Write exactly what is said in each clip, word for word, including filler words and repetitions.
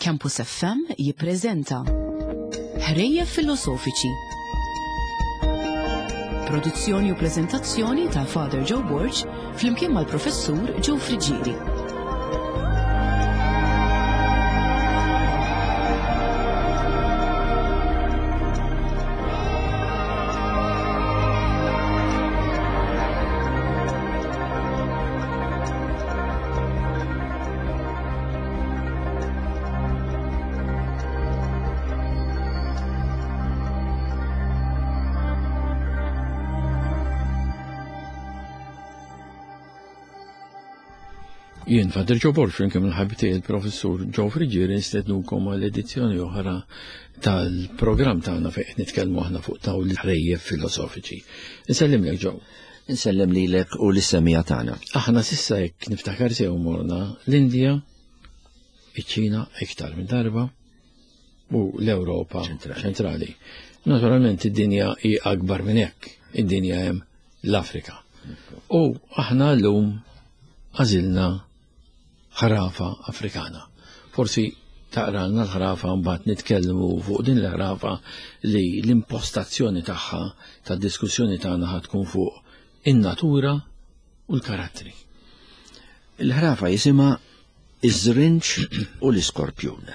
Campus F M jippreżenta Ħrejjef Filosofiċi. Produzzjoni u preżentazzjoni ta' Father Joe Borg flimkien mal-Professur Joe Friggieri. Jien Father Joe Borg, flimkien mal-ħabib tiegħi il-Professur Joe Friggieri, nistednukom għal edizzjoni oħra tal-programm tagħna fejn qed nitkellmu aħna fuq dawn l-ħrejjef filosofiċi. Insellimlek Joe. Insellem lilek u lis-semija tagħna. Aħna sissa jekk niftakar sew morna l-Indja, iċ-Ċina iktar minn darba u l-Ewropa ċentrali. ċentrali. Naturalment id-dinja hi akbar minn hekk, id-dinja hemm l-Afrika. U aħna llum għażilna ħrafa Afrikana. Forsi taqralna l-ħrafa mbagħad nitkellmu fuq din l-ħrafa li l-impostazzjoni tagħha tad-diskussjoni tagħna ħad tkun fuq in-natura u l-karattri. Il-ħrafa jisimha Iż-Żrinġ u l-Iskorpjun.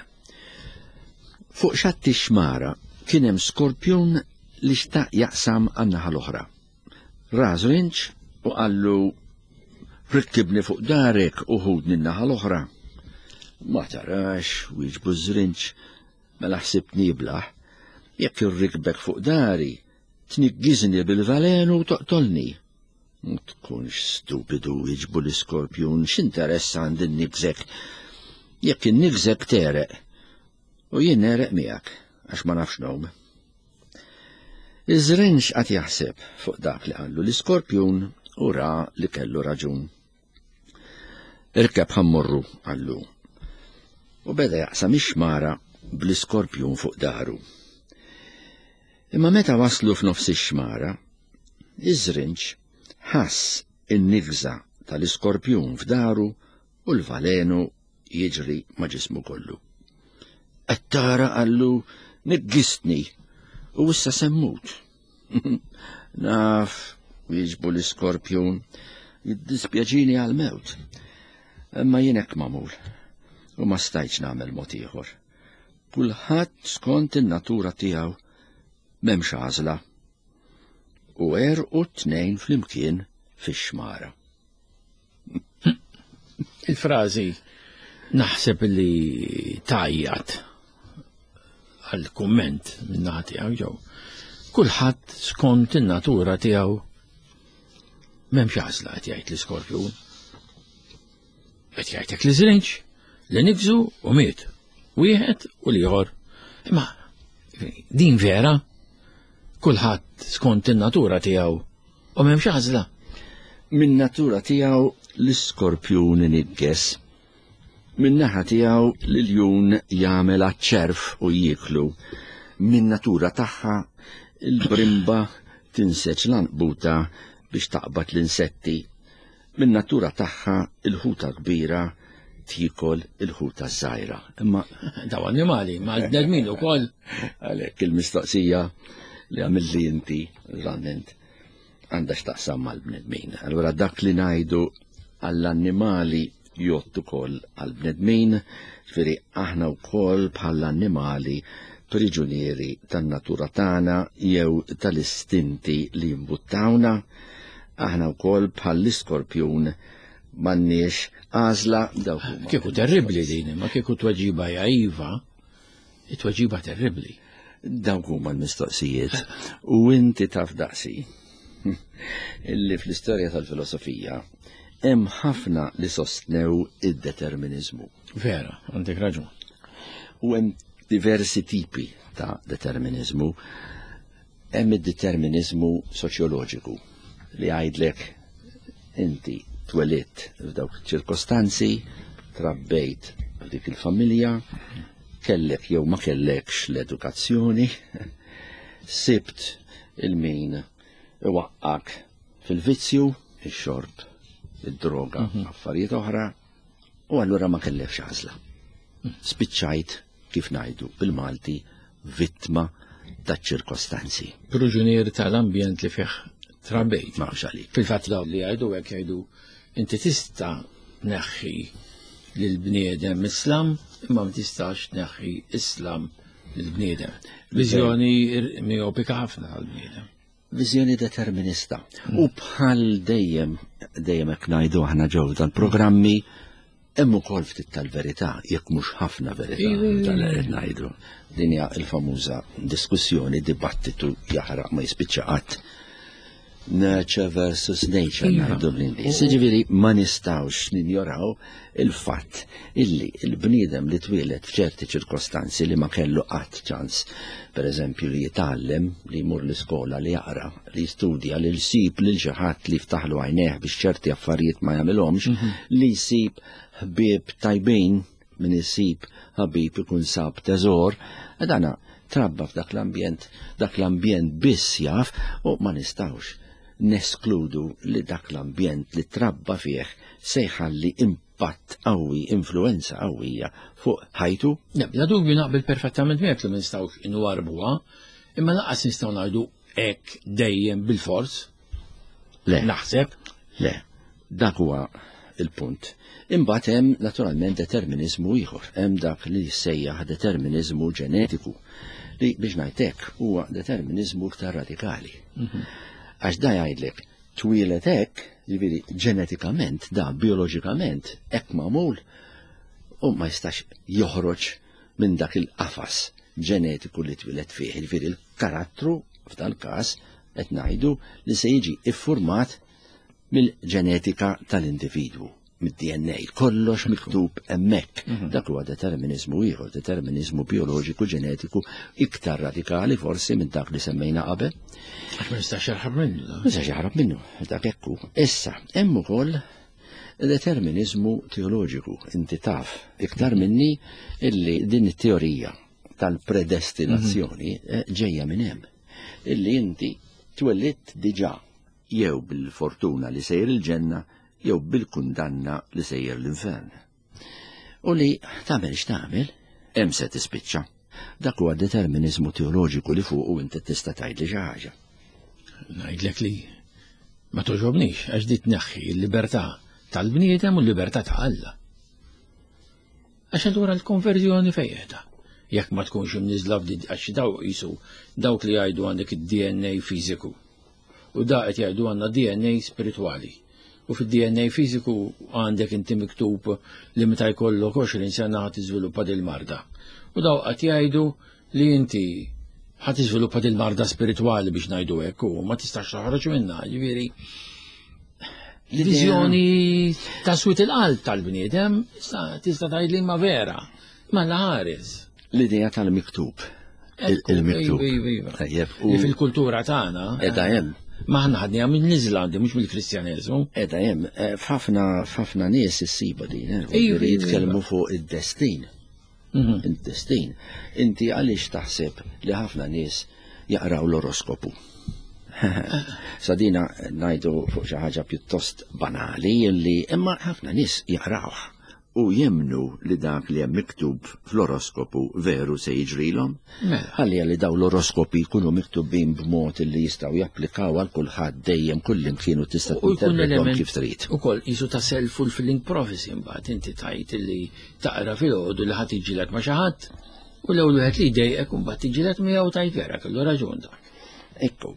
Fuq xatt ix-xmara kien hemm skorpjun li xtaq jaqsam għan-naħa l-oħra. Ra żrinġ u qallu rikkibni fuq darek u ħudni n-naħa l-oħra. Ma tarax, wieġbu ż-żrinġ, mela ħsibtni iblaħ. Jekk irrikbek fuq dari, tniggiżni bil-valenu u toqtolni. Ma tkunx stupidu, wieġbu l-iskorpjun, x'interess għandi nnigżek. Jekk innigżek tereq, u jien nereq miegħek, għax ma nafx ngħum. Iż-żrinġ qed jaħseb fuq dak li qallu l-iskorpjun u ra li kellu raġun. Irkeb ħammurru, qallu. U beda jaqsam ix-xmara bl-iskorpjun fuq daru. Imma meta waslu f'nofs ix-xmara, iż-żrinġ ħass in-nigża tal-iskorpjun f'daru u l-valenu jiġri ma' ġismu kollu. Qed tara, qallu, niggistni u issa semmut. Naf, wieġbu l-iskorpjun, jiddispjaċini għal-mewt. Imma jien hekk magħmul u ma stajtx nagħmel mod ieħor. Kulħadd skont in-natura tiegħu m'hemmx għażla. U għerqu t-tnejn flimkien fix-xmara. Il-frażi naħseb li tajjat għal-kumment minn naħa tiegħu ġew. Kulħadd skont in-natura tiegħu m'hemmx għażla, qed jgħid l-iskorpjun. Qed jgħidlek li żrinġ, li nigżu u miet. Wieħed u l-ieħor. Imma din vera, kulħadd skont in-natura tiegħu u m'hemmx għażla. Min natura tiegħu l-iskorpjun inigges. Min naħa tiegħu l-iljun jagħmel għaċ-ċerf u jieklu. Min natura tagħha il-brimba tinseġ l-anqbuta biex taqbad l-insetti. Min natura tagħha il-ħuta kbira tiekol il-ħuta żgħira. Imma daw annimali, ma l-bnedmin ukoll. Għalhekk il-mistoqsija li għamilli inti, naturalment, għandha x'taqsam mal-bnedmin. Allura dak li ngħidu għall-annimali jgħod ukoll għall-bnedmin, ġifieri aħna wkoll bħall-annimali priġunieri tan-natura tagħna jew tal-istinti li jimbuttawna. Aħna wkoll bħall-iskorpjun m'għandniex għażla dawk huma. Kieku terribbli din, ma kieku tweġiba hija iva, it-tweġiba terribbli. Dawk huma l-mistoqsijiet. U inti taf daqsi illi fl-istorja tal-filosofija hemm ħafna li sostnew id-determiniżmu. Vera, għandek raġun. U hemm diversi tipi ta' determiniżmu. Hemm id-determiniżmu soċjoloġiku li jgħidlek inti twelidt f'dawk ċirkostanzi, trabbejt f'dik il-familja, kellek jew ma kellekx l-edukazzjoni, sibt il-min iwaqqak fil-vizzju, ix-xorb, id-droga, Mhm. affarijiet oħra, u allura ma kellekx għażla. Spiċċajt, kif ngħidu bil-Malti, vittma taċ-ċirkostanzi. Proġunier tal-ambjent li fih trabejt. Ma għalik. Fil-fatt daw li jgħidu hekk jgħidu inti tista' tneħħi lill-bniedem Islam imma ma tistax tneħħi Islam lill-bniedem. Viżjoni miopika ħafna tal-bniedem. Viżjoni determinista. U bħal dejjem, dejjem hekk ngħidu aħna ġew tal-programmi, hemm ukoll ftit tal-verità, jekk mhux ħafna verità tal qed ngħidu. Din hija l-famuża diskussjoni, dibattitu jaħraq ma jispiċċa qatt. Nurture versus nature ngħidu bl-Ingliż. Jiġifieri ma nistgħux ninjoraw il-fatt illi il-bniedem li twieled f'ċerti ċirkostanzi li ma kellu qatt ċans, per eżempju li jitgħallem, li jmur l-iskola, li jaqra, li jistudja, li jsib lil xi ħadd li jiftaħlu għajnejh biex ċerti affarijiet ma jagħmilhomx, li jsib ħbieb tajbin, min isib ħabib ikun sab teżor, dana trabba f'dak l-ambjent, dak l-ambjent biss jaf u ma nistgħux neskludu li dak l-ambjent li trabba fih se jħalli impatt qawwi, influenza qawwija fuq ħajtu. Le, bla dubju naqbel perfettament miegħek li ma nistgħux inwarbuha, imma lanqas nistgħu ngħidu hekk dejjem bil-fors. Le. Naħseb. Le, dak huwa il-punt. Imbagħad hemm naturalment determiniżmu ieħor, hemm dak li jissejjaħ determiniżmu ġenetiku, li biex ngħid hekk huwa determiniżmu iktar radikali. Għax da jgħidlek twieled hekk, jiġifieri ġenetikament, da bioloġikament hekk magħmul u ma jistax joħroġ minn dak il-qafas ġenetiku li twieled fih. Jiġifieri il-karattru f'dal każ qed ngħidu li se jiġi iffurmat mill-ġenetika tal-individwu, mid-D N A, kollox miktub hemmhekk. Dak huwa determiniżmu ieħor, determiniżmu bioloġiku ġenetiku iktar radikali forsi minn dak li semmejna qabel. Għax ma jistax jaħrab minnu, da. Ma jistax jaħrab minnu, dak hekk hu. Issa, hemm ukoll determiniżmu teoloġiku, inti taf iktar minni illi din it-teorija tal-predestinazzjoni ġejja minn hemm. Illi inti twellidt diġà jew bil-fortuna li sejr il-ġenna jew bil-kundanna li sejjer l-infern. U li tagħmel x'tagħmel, hemm se tispiċċa. Dak huwa determiniżmu teoloġiku li fuqu inti tista' tgħidli xi ħaġa. Ngħidlek li ma toġobnix għax di tneħħi l-libertà tal-bniedem u l-libertà ta' Alla. Għax allura l-konverżjoni fejn qiegħda? Jekk ma tkunx imniżla f'di, għax daw qisu dawk li jgħidu għandek id-D N A fiżiku. U da qed jgħidu għandna D N A spiritwali. U fid-D N A fiżiku għandek inti miktub li meta jkollok għoxrin sena ħa tiżviluppa dil-marda. U daw qed jgħidu li inti ħa tiżviluppa dil-marda spiritwali biex ngħidu hekk u ma tistax toħroġ minnha, jiġifieri viżjoni ta' swit il-qalb tal-bniedem, tista' tgħid li ma vera, ma la ħares. L-idea tal-miktub. Ekku, Il-miktub. iva, iva, iva. Tajjeb, u Li fil-kultura tagħna, Edha hemm. Ma aħna ħadniha minn Iżlandi, mhux mill-Kristjaneżmu. Edha hemm, eh, f'ħafna, f'ħafna nies issiba din, eh, Iva, iva, iva. jitkellmu fuq id-destin. Mhm. Id-destin. Inti għaliex taħseb li ħafna nies jaqraw l-oroskopu? Sadina ngħidu fuq xi ħaġa pjuttost banali li imma ħafna nies jaqrawh u jemnu li dak li hemm miktub fl-oroskopu veru se jiġrilhom. Mela. Ħalli li daw l-oroskopi jkunu miktubin b'mod li jistgħu japplikaw għal kulħadd dejjem kullimkien u tista' U jkun tinterpretahom element kif trid. Ukoll qisu ta' self-fulfilling prophecy mbagħad inti tajt li taqra filgħodu li ħadd jiġilek ma' xi ħadd u l-ewwel wieħed li jdejqek u mbagħad tiġilek miegħu tajt vera kellu raġun dak. Ekku,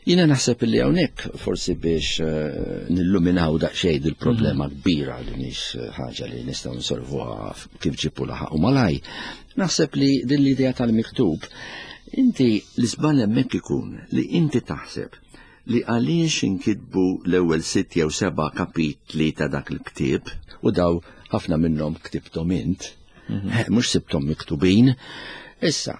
jiena naħseb li hawnhekk forsi biex, eh, nilluminaw daqsxejn il-problema Mhm. kbira li mhix ħaġa li nistgħu nsolvuha kif ġipu laħaq u malaj. Naħseb li din l-idea tal-miktub, inti l-iżball hemmhekk ikun li inti taħseb li għaliex inkitbu l-ewwel sitt jew seba' kapitli ta' dak il-ktieb u daw ħafna minnhom ktibthom int, Mhm. eh, mhux sibthom miktubin. Issa,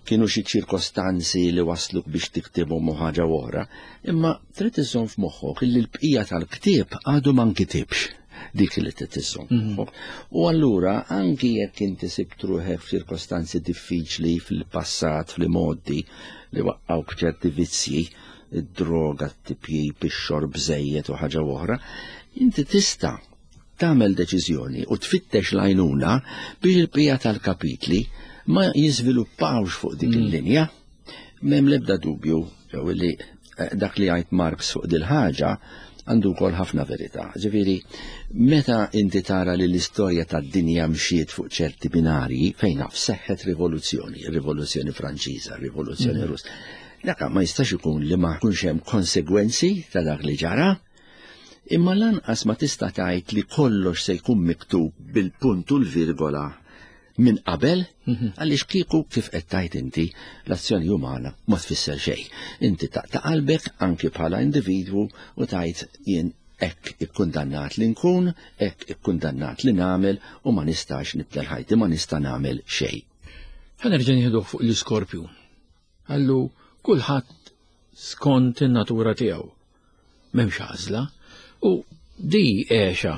kienu xi ċirkostanzi li wasluk biex tiktibhom u ħaġa oħra, imma trid iżżomm f'moħħok illi l-bqija tal-ktieb għadu ma nkitibx. Dik li trid iżżomm Mhm. f'moħħok. U allura anki jekk inti sibt ruħek f'ċirkostanzi diffiċli fil-passat, fl-modi li waqqgħuk ċerti vizzji, id-droga, t-tipjip, ix-xorb żejjed u ħaġa oħra, inti tista' tagħmel deċiżjoni u tfittex l-għajnuna biex il-bqija tal-kapitli ma jiżviluppawx fuq dik il-linja. M'hemm l-ebda dubju jew li dak li għajt Marx fuq dil-ħaġa għandu wkoll ħafna verità. Ġifieri, meta inti tara li l-istorja tad-dinja mxiet fuq ċerti binarji, fejn naf seħħet rivoluzzjoni, rivoluzzjoni Franċiża, rivoluzzjoni Russa. Dak ma jistax ikun li ma jkunx hemm konsegwenzi ta' dak li ġara, imma lanqas ma tista' tgħid li kollox se jkun miktub bil-punt u l-virgola minn qabel, għaliex kieku kif qed tgħid inti l-azzjoni umana ma tfisser xejn. Inti taqta' qalbek anki bħala individwu u tgħid jien hekk ikkundannat li nkun, hekk ikkundannat li nagħmel u ma nistax nibdel ħajti, ma nista' nagħmel xejn. Ħa nerġa' nieħduh fuq l-iskorpjun. Għallu kulħadd skont in-natura tiegħu. M'hemmx għażla u di għexa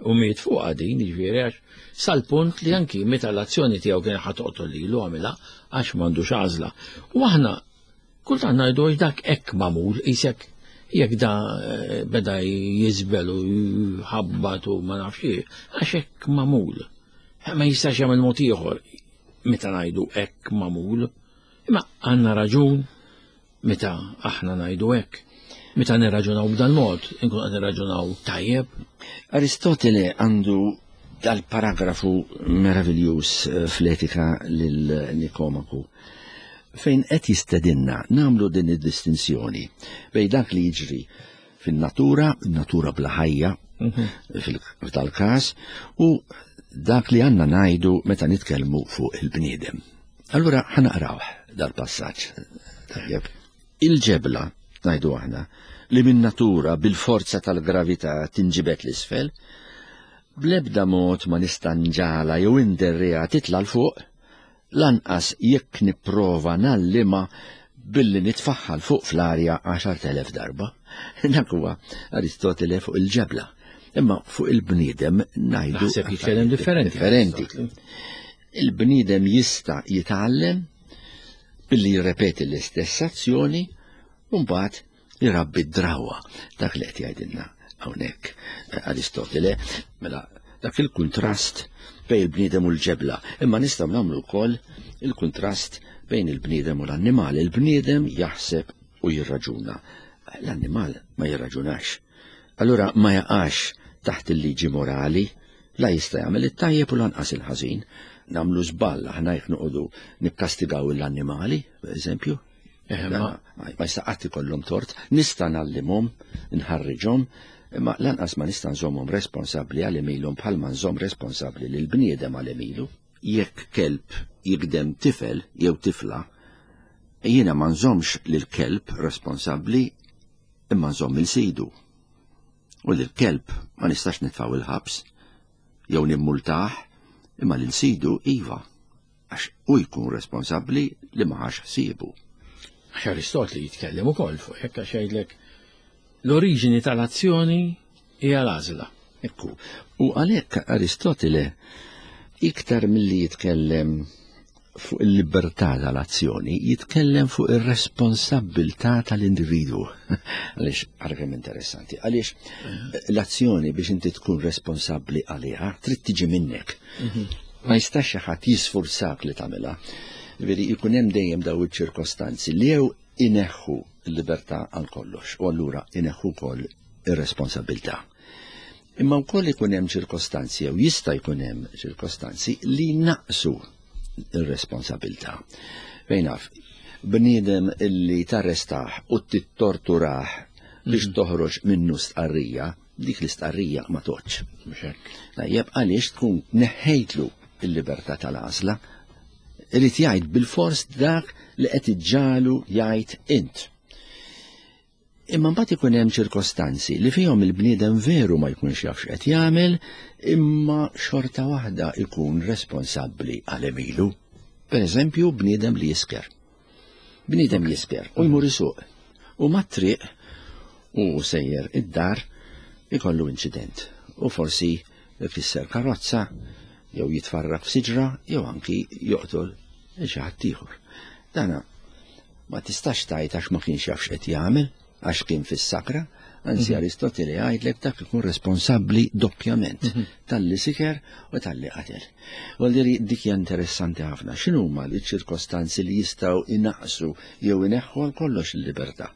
u miet fuqha din, jiġifieri għax sal-punt li anki meta l-azzjoni tiegħu kien ħa toqtol lilu għamilha għax m'għandux għażla. U aħna kultant ngħidu għax dak hekk magħmul, isek jekk da beda jiżbel u jħabbat u ma nafx għax hekk magħmul. Ma jistax jagħmel mod ieħor meta ngħidu hekk magħmul. Imma għandna raġun meta aħna ngħidu hekk. Meta nirraġunaw b'dan mod, inkun qed nirraġunaw tajjeb. Aristotele għandu dal-paragrafu meraviljuż fl-Etika lil Nikomaku, fejn qed jistedinna nagħmlu din id-distinzjoni bejn dak li jiġri fin-natura, natura bla ħajja f'dal-każ, u dak li għandna ngħidu meta nitkellmu fuq il-bniedem. Allura ħa naqrawh dal-passaġġ. Tajjeb. Il-ġebla, ngħidu aħna, li min natura bil-forza tal-gravità tinġibet l-isfel, bl-ebda mod ma nista' nġala jew inderriha titla' 'l fuq, lanqas jekk nipprova nallimha billi nitfaħħa 'l fuq fl-arja għaxart elef darba. Dak huwa Aristotele fuq il-ġebla. Imma fuq il-bniedem ngħidu Naħseb jitkellem differenti. Differenti. Il-bniedem jista' jitgħallem billi jirrepeti l-istess azzjoni u mbagħad jirabbi d-drawa. Dak li qed jgħidilna hawnhekk Aristotele, mela dak il-kuntrast bejn il-bniedem u l-ġebla. Imma nistgħu nagħmlu wkoll il-kuntrast bejn il-bniedem u l-annimal. Il-bniedem jaħseb u jirraġuna. L-annimal ma jirraġunax. Allura ma jaqax taħt il-liġi morali, la jista' jagħmel it-tajjeb u lanqas il-ħażin. Nagħmlu żball aħna jekk noqogħdu nikkastigaw l-annimali, per eżempju. Eh, ma ma jista' qatt ikollhom tort, nista' ngħallimhom, nħarriġhom, imma lanqas ma nista' nżommhom responsabbli għal għemilhom bħalma nżomm responsabbli lil bniedem għal għemilu. Jekk kelb jikdem tifel jew tifla, jiena ma nżommx lil kelb responsabbli imma nżomm il sidu. U lil kelb ma nistax nitfgħu il-ħabs jew nimmultah, imma lil sidu iva, għax hu jkun responsabbli li ma ħax ħsiebu. Għax Aristotli jitkellem ukoll fuq hekk għax jgħidlek l-oriġini tal-azzjoni hija l-għażla. Ekku, u għalhekk Aristotele iktar milli jitkellem fuq il-libertà tal-azzjoni, jitkellem fuq ir-responsabbiltà tal-individwu. Għaliex, ara kemm interessanti, għaliex l-azzjoni biex inti tkun responsabbli għaliha trid tiġi minnek. Ma jistax xi ħadd jisfurzak li tagħmilha. Ġifieri jkun hemm dejjem daw iċ-ċirkostanzi li jew ineħħu l-libertà għal kollox u allura ineħħu wkoll ir-responsabbiltà. Imma wkoll ikun hemm ċirkostanzi jew jista' jkun hemm ċirkostanzi li naqsu ir-responsabbiltà. Fejn naf, bniedem illi tarrestah u tittorturah biex toħroġ minnu stqarrija, dik l-istqarrija ma toċ. Mhux hekk. Tajjeb, għaliex tkun neħħejtlu il-libertà tal-għażla, irid jgħid bil-fors dak li qed iġġalu jgħid int. Imma mbagħad ikun hemm ċirkostanzi li fihom il-bniedem veru ma jkunx jaf x'qed jagħmel, imma xorta waħda ikun responsabbli għal għemilu. Per eżempju, bniedem li jisker. Bniedem jisker u jmur isuq. U mat-triq u sejjer id-dar ikollu inċident. U forsi ifisser karozza, jew jitfarrak f'siġra, jew anki joqtol xi ħadd ieħor. Dana ma tistax tgħid għax ma kienx jaf x'qed jagħmel, għax kien fis-sakra, Anzi, Aristotele jgħidlek dak ikun responsabbli doppjament talli siker u talli qatel. Vuol dik hija interessanti ħafna. X'inhuma l-ċirkostanzi li jistgħu inaqqsu jew ineħħu għal kollox il-libertà?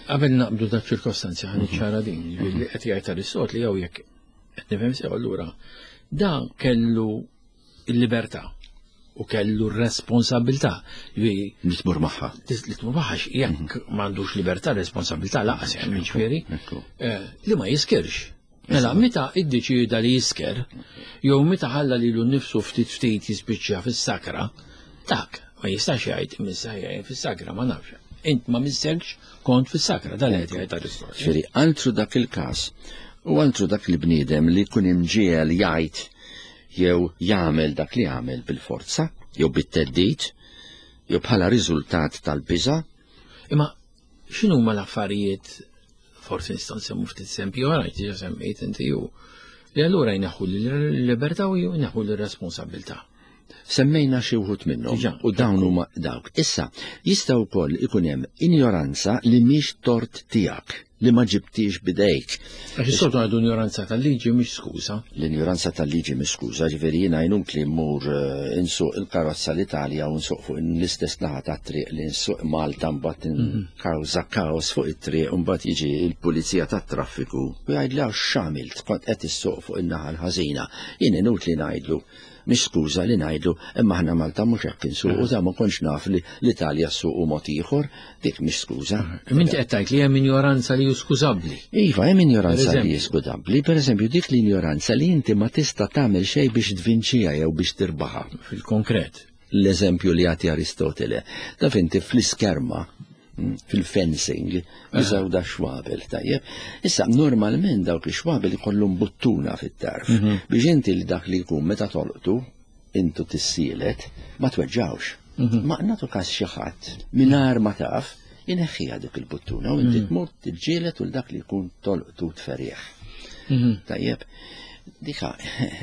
Qabel naqbdu dak ċirkostanzi ħa niċċara din, li qed jgħid Aristotele jew jekk qed nifhem sew allura da kellu il-libertà u kellu r-responsabilità. Li tmur magħha. Li tmur magħha jekk m'għandux libertà, responsabilità laqas hemm jiġifieri li ma jiskirx. Mela meta iddeċieda li jisker, jew meta ħalla lilu nnifsu ftit ftit jispiċċa fis-sakra, dak ma jistax jgħid missa jgħid fis-sakra ma nafx. Int ma misselx kont fis-sakra, dan qed jgħid Aristotele. Ġifieri altru dak il-każ u altru dak il-bniedem li jkun imġiegħel jgħid jew jagħmel dak li jagħmel bil-forza, jew bit-teddid, jew bħala riżultat tal-biża'. Imma x'inhuma l-affarijiet, forsi nistgħu nsemmu ftit eżempji oħra, diġà semmejt inti ju, li allura jneħħu l-libertà u jneħħu l-responsabilità. Semmejna xi wħud minnhom u dawn huma dawk. Issa, jista' wkoll ikun hemm injoranza li mhix tort tiegħek, li ma ġibtix bidejk. Għax is-soltu għadu injoranza tal-liġi mhix skuża. L-injoranza tal-liġi mhix skuża, ġifieri jiena inutli li mmur insuq il-karozza l-Italja u nsuq fuq l-istess naħa tat-triq li nsuq Malta mbagħad inkawża kaos fuq it-triq u mbagħad jiġi l-pulizija tat-traffiku u jgħidli għax x'għamilt kont qed issuq fuq in-naħa l-ħażina. Jien inutli ngħidlu mhix skuża li ngħidu imma aħna Malta mhux hekk insuqu, ta' ma kontx naf li l-Italja ssuqu mod ieħor, dik mhix skuża. Inti qed tgħid li hemm injoranza li skużabbli. Iva, hemm injoranza li skużabbli, pereżempju dik l-injoranza li inti ma tista' tagħmel xejn biex tvinċiha jew biex tirbaħha. Fil-konkret. L-eżempju li jagħti Aristotele, taf inti fl-iskerma, fil-fencing, jużaw da xwabel, tajjeb. Issa, normalment dawk ix-xwabel ikollhom buttuna fit-tarf, biex inti li dak li jkun meta tolqtu, intu tissielet, ma tweġġawx. Ma nagħtu każ xi ħadd mingħajr ma taf, ineħħiha dik il-buttuna u inti tmur tiġġieled u dak li jkun tolqtu tferieħ. Tajjeb. Dika,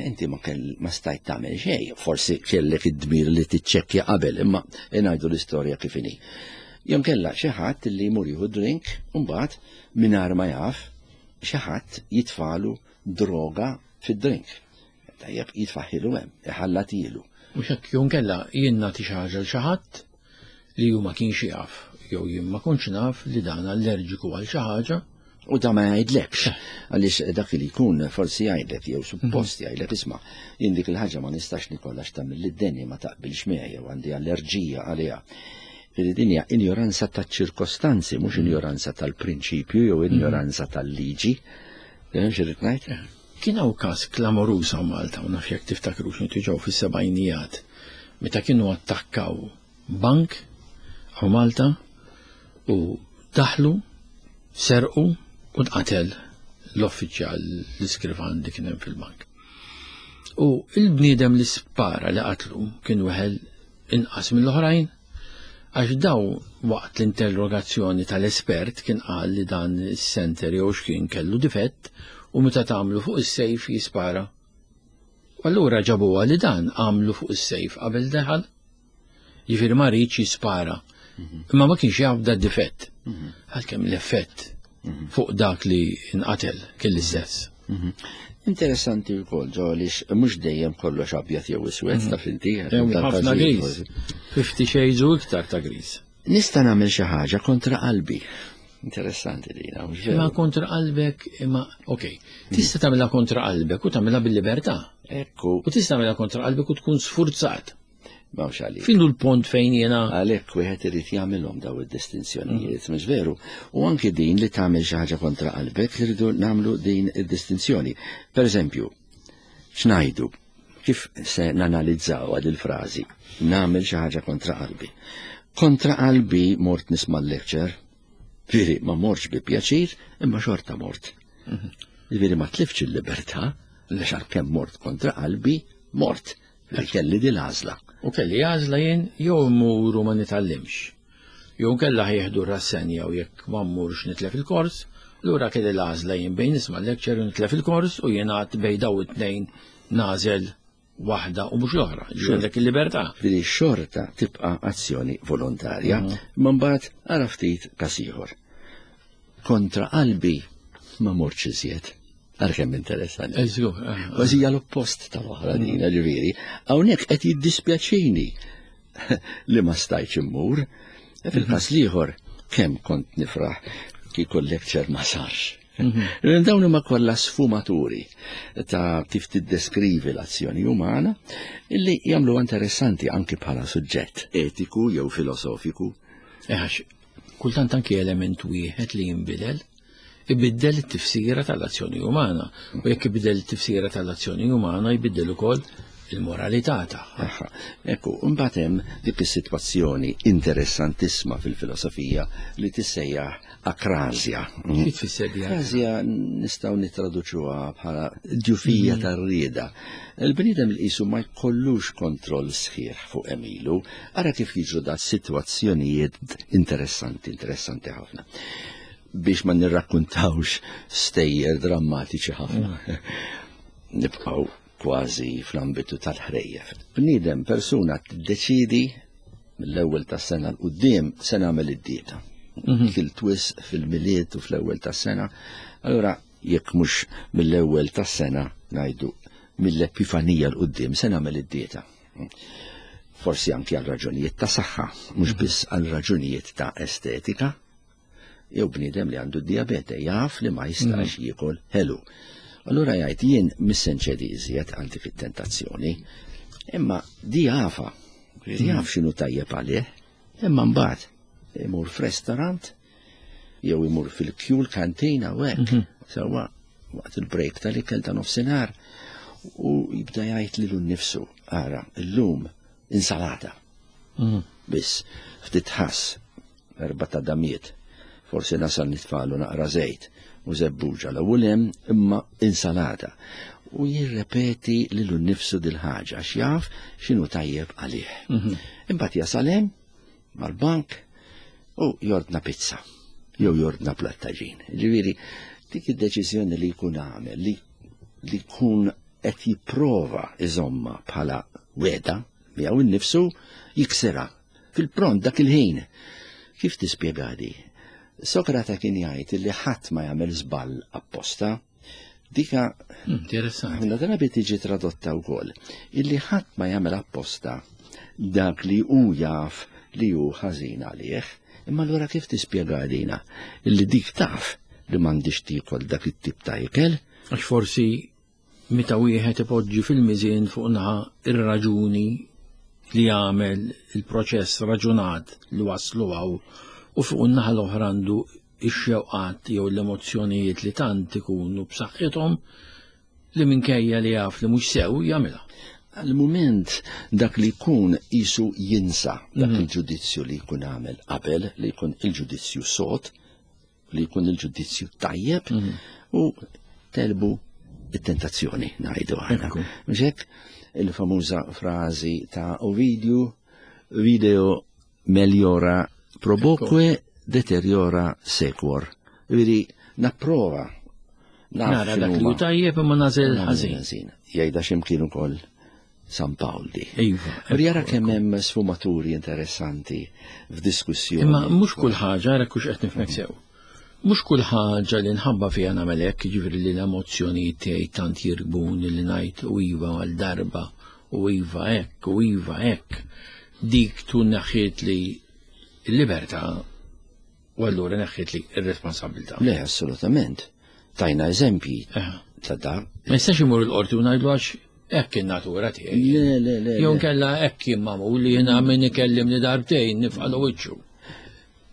inti ma kell ma stajt tagħmel xejn, forsi kellek id-dmir li tiċċekkja qabel, imma ngħidu l-istorja kif inhi. Jom kella xi ħadd li jmur jieħu drink u mbagħad mingħajr ma jaf xi ħadd jitfalu droga fid-drink. Tajjeb jitfaħħilu hemm, iħallatilu. Mhux hekk jom kella jien nagħti xi ħaġa l xi ħadd li hu ma kienx jaf, jew jien ma kontx naf li dan allerġiku għal xi ħaġa. U da ma jgħidlekx, għaliex dak li jkun forsi jgħidlek jew suppost jgħidlek isma' jien dik il-ħaġa ma nistax nikollha x'tagħmel lid-denja ma taqbilx miegħi jew għandi allerġija għaliha. Din hija injoranza taċ-ċirkostanzi, mhux injoranza tal-prinċipju jew injoranza tal-liġi. X'irrid ngħid? Kien hawn każ klamoruż hawn Malta, u naf jekk tiftakrux inti ġew fis-sebgħinijat, meta kienu attakkaw bank hawn Malta u daħlu, serqu u nqatel l-uffiċjal l-iskrivan li kien hemm fil-bank. U il-bniedem li spara li qatlu kien weħel inqas mill-oħrajn, għax daw waqt l-interrogazzjoni tal-espert kien qal li dan is-senter jew x'kien kellu difett u meta tagħmlu fuq is-sejf jispara. U allura ġabuha li dan għamlu fuq is-sejf qabel deħal. Jiġifieri ma rridx jispara. Imma ma kienx jaf da difett. Għalkemm l-effett fuq dak li nqatel kien l-istess. Interessanti wkoll ġo għaliex mhux dejjem kollox abjad jew iswed taf inti. Ħafna gris. Fifty shades u iktar ta' gris. Nista' nagħmel xi ħaġa kontra qalbi. Interessanti dina, mhux veru? Imma kontra qalbek, imma okej. Tista' tagħmilha kontra qalbek u tagħmilha bil-libertà. Ekku. U tista' tagħmilha kontra qalbek u tkun sfurzat. Mawx għalik. Finu l-pont fejn jena. Għalhekk wieħed irid jagħmilhom daw id-distinzjonijiet, mhux veru? U anki din li tagħmel xi ħaġa kontra qalbek li rridu nagħmlu din id-distinzjoni. Per eżempju, x'ngħidu? Kif se nanalizzaw għad il-frażi? Nagħmel xi ħaġa kontra qalbi. Kontra qalbi mort nisma' l-lecture. Veri, ma mortx bi pjaċir, imma xorta mort. Veri, ma tliftx il-libertà, għax għalkemm mort kontra qalbi, mort. Li kelli din l-għażla. U kelli għażla jien jew immur u ma nitgħallimx. Jew kellha ħieħdu rassenja u jekk ma mmurx nitlef il-kors, lura kelli l-għażla jien bejn nisma' lecture u nitlef il-kors u jien għad bejn daw it-tnejn nażel waħda u mhux l-oħra. Ġifieri għandek il-libertà. Ġifieri xorta tibqa' azzjoni volontarja, ma mbagħad ara ftit każ ieħor. Kontra qalbi ma mortx iżjed. Ara kemm interessanti. Eh, żgur, eh, eh. Kważi hija l-oppost tal-oħra din, ġifieri. Hawnhekk qed jiddispjaċini li ma stajtx immur. Fil-każ l-ieħor kemm kont nifraħ kieku l-lecture ma sarx. Dawn huma kollha sfumaturi ta' kif tiddeskrivi l-azzjoni umana illi jagħmlu interessanti anki bħala suġġett etiku jew filosofiku. Eh, għax kultant anki element wieħed li jinbidel, ibiddel it-tifsira tal-azzjoni umana. U jekk ibiddel it-tifsira tal-azzjoni umana, jbiddel ukoll il-moralità tagħha. Aha. Ekku, mbagħad hemm dik is-sitwazzjoni interessantissima fil-filosofija li tissejjaħ akrasia. Xi tfisser di? Akrasia nistgħu nittraduċuha bħala djufija tar-rieda. Il-bniedem li qisu ma jkollux kontroll sħiħ fuq għemilu, ara kif jiġru da sitwazzjonijiet interessanti, interessanti ħafna. Biex ma nirrakkuntawx stejjer drammatiċi ħafna. Nibqgħu kważi fl-ambitu tal-ħrejjef. Bniedem persuna tiddeċidi mill-ewwel tas-sena 'l quddiem se nagħmel id-dieta. Kilt wisq fil-Milied u fl-ewwel tas-sena. Allura jekk mhux mill-ewwel tas-sena ngħidu mill-Epifanija 'l quddiem se nagħmel id-dieta. Forsi anki għal raġunijiet ta' saħħa, mhux biss għal raġunijiet ta' estetika. Jew bniedem li għandu diabete jaf li ma jistax jiekol ħelu. Allura jgħid jien mhux se nċedi iżjed għal dik it-tentazzjoni, imma di jafa, jaf x'inhu tajjeb għalih, imma mbagħad imur f'restaurant jew imur fil-kju l-kantina u hekk, sewwa waqt il-break tal-ikel ta' nofsinhar u jibda jgħid lilu nnifsu, ara, illum insalata. Biss ftit ħass erba' ta' damiet, forsi nasal nitfalu naqra żejt u żebbuġa l-ewwel hemm imma insalata. U jirrepeti lilu nnifsu dil-ħaġa għax jaf x'inhu tajjeb għalih. Imbagħad jasal hemm mal-bank u jordna pizza jew jordna plattaġin. Ġifieri dik id-deċiżjoni li jkun għamel li li jkun qed jipprova iżomma bħala weda miegħu nnifsu jiksirha fil-pront dak il-ħin. Kif tispjega di? Sokrate kien jgħid li ħadd ma jagħmel żball apposta. Dika Interessanti. ħafna drabi tiġi tradotta wkoll illi ħadd ma jagħmel apposta dak li hu jaf li hu ħażin għalih. Imma allura kif tispjega dina? Illi dik taf li m'għandix tiekol dak it-tip ta' ikel? Għax forsi meta wieħed ipoġġi fil-miżien fuq naħa ir-raġuni li jagħmel il-proċess raġunat li waslu għaw u fuq in-naħa l-oħra għandu ix-xewqat jew l-emozzjonijiet li tant ikunu b'saħħithom li minkejja li jaf li mhux sew jagħmilha. Għal-moment dak li jkun jisu jinsa dak il-ġudizzju li jkun għamel qabel, li jkun il-ġudizzju sod, li jkun il-ġudizzju tajjeb u telbu it-tentazzjoni ngħidu aħna. Ekku. Mhux hekk il-famuża frażi ta' Ovidiu, video meliora proboque deteriora sequor. Vidi, napprova. Naf Nara dak li x'inhuma. hu tajjeb imma nażel ħażin. Ħażin. Jgħidha x'imkien ukoll San Pawl di. Iva. Jara kemm hemm sfumaturi interessanti f'diskussjoni. Imma mhux kull ħaġa, ara kux qed nifhmek sew. Mhux kull ħaġa li nħabba fiha nagħmel hekk, jiġifieri li l-emozzjonijiet tiegħi tant jirkbuni li ngħid u iva għal darba u iva hekk u iva hekk. Dik tkun neħħiet li l-libertà u allura neħħiet li r-responsabilità. Le, assolutament. Tajna eżempji Eħe. ta' da. Ma jistax imur il-qorti u ngħidlu għax hekk in-natura tiegħi. Le, le, le. Jew le. nkella hekk jien magħmul li jiena min ikellimni darbtejn nifqalu wiċċu.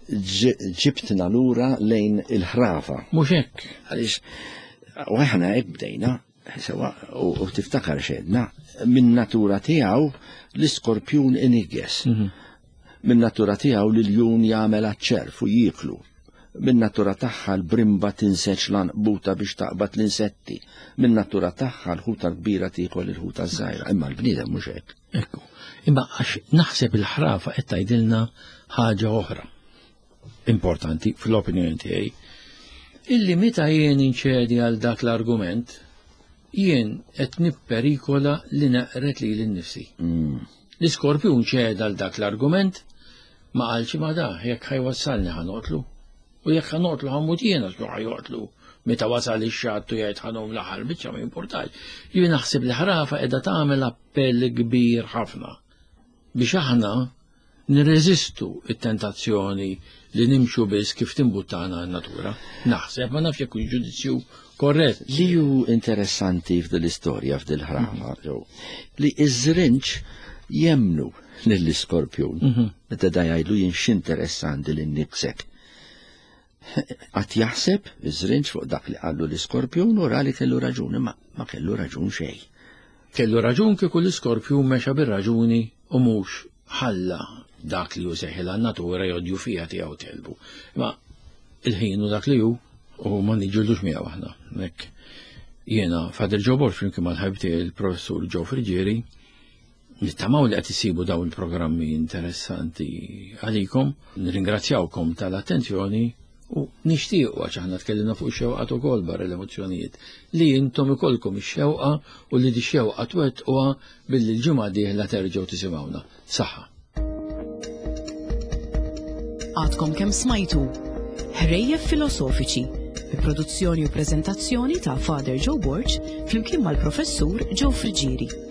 Ġi- Ġibtna lura lejn il-ħrafa. Mhux hekk. Għaliex, u aħna hekk bdejna, sewa, u u tiftakar xedna, minn natura tiegħu l-iskorpjun inigges. Minn natura tiegħu l-iljun jagħmel aċ-ċerf u jieklu. Minn natura tagħha l-brimba tinseġ l-għanqbuta biex taqbad l-insetti. Minn natura tagħha l-ħuta l-kbira tiekol il-ħuta żgħira. Imma l-bniedem mhux hekk. Ekku. Imma għax naħseb il-ħrafa qed tgħidilna ħaġa oħra importanti fl-opinjoni tiegħi illi meta jien inċedi għal dak l-argument jien qed nipperikola li naqret lili nnifsi. L-iskorpjun ċeda għal dak l-argument ma qalx ma da jekk ħa jwassalni ħa noqtlu. U jekk ħa noqtlu ħa mmut jien għax ħa joqtlu Meta wasal ix-xatt u jgħid ħa ngħum l-aħħar biċċa, ma jimpurtax. Jien naħseb li ħrafa qiegħda tagħmel appell kbir ħafna biex aħna nirreżistu it-tentazzjoni li nimxu biss kif timbuttana n-natura. Naħseb, ma nafx jekk ġudizzju korrett. Li ju interessanti f'dil istorja, f'dil ħrafa, li iż-żrinġ jemnu lill-iskorpjun. Mhm. Meta da jgħidlu jien x'interessanti li nibsek. Għad jaħseb iż-żrinġ fuq dak li qallu l-iskorpjun u ra li kellu raġun, imma ma kellu raġun xejn. Kellu raġun kieku l-iskorpjun mexa bir-raġuni u mhux ħalla dak li hu seħil natura jodju fija tiegħu telbu. Ma il-ħin u dak li hu u ma niġġildux miegħu aħna. Nek jiena Father Joe Borg flimkien mal-ħabib tiegħi il-professur Joe Friggieri nittamaw li qed isibu dawn il-programmi interessanti għalikom, nirringrazzjawkom tal-attenzjoni u nixtiequ, għax aħna tkellimna fuq xewqat ukoll barra l-emozzjonijiet, li intom ikollkom ix-xewqa u li di xewqa twettquha billi l-ġimgħa dieħla terġgħu tisimgħuna. Saħħa. Għadkom kemm smajtu Ħrejjef Filosofiċi bi produzzjoni u preżentazzjoni ta' Father Joe Borg flimkien mal-professur Joe Friggieri.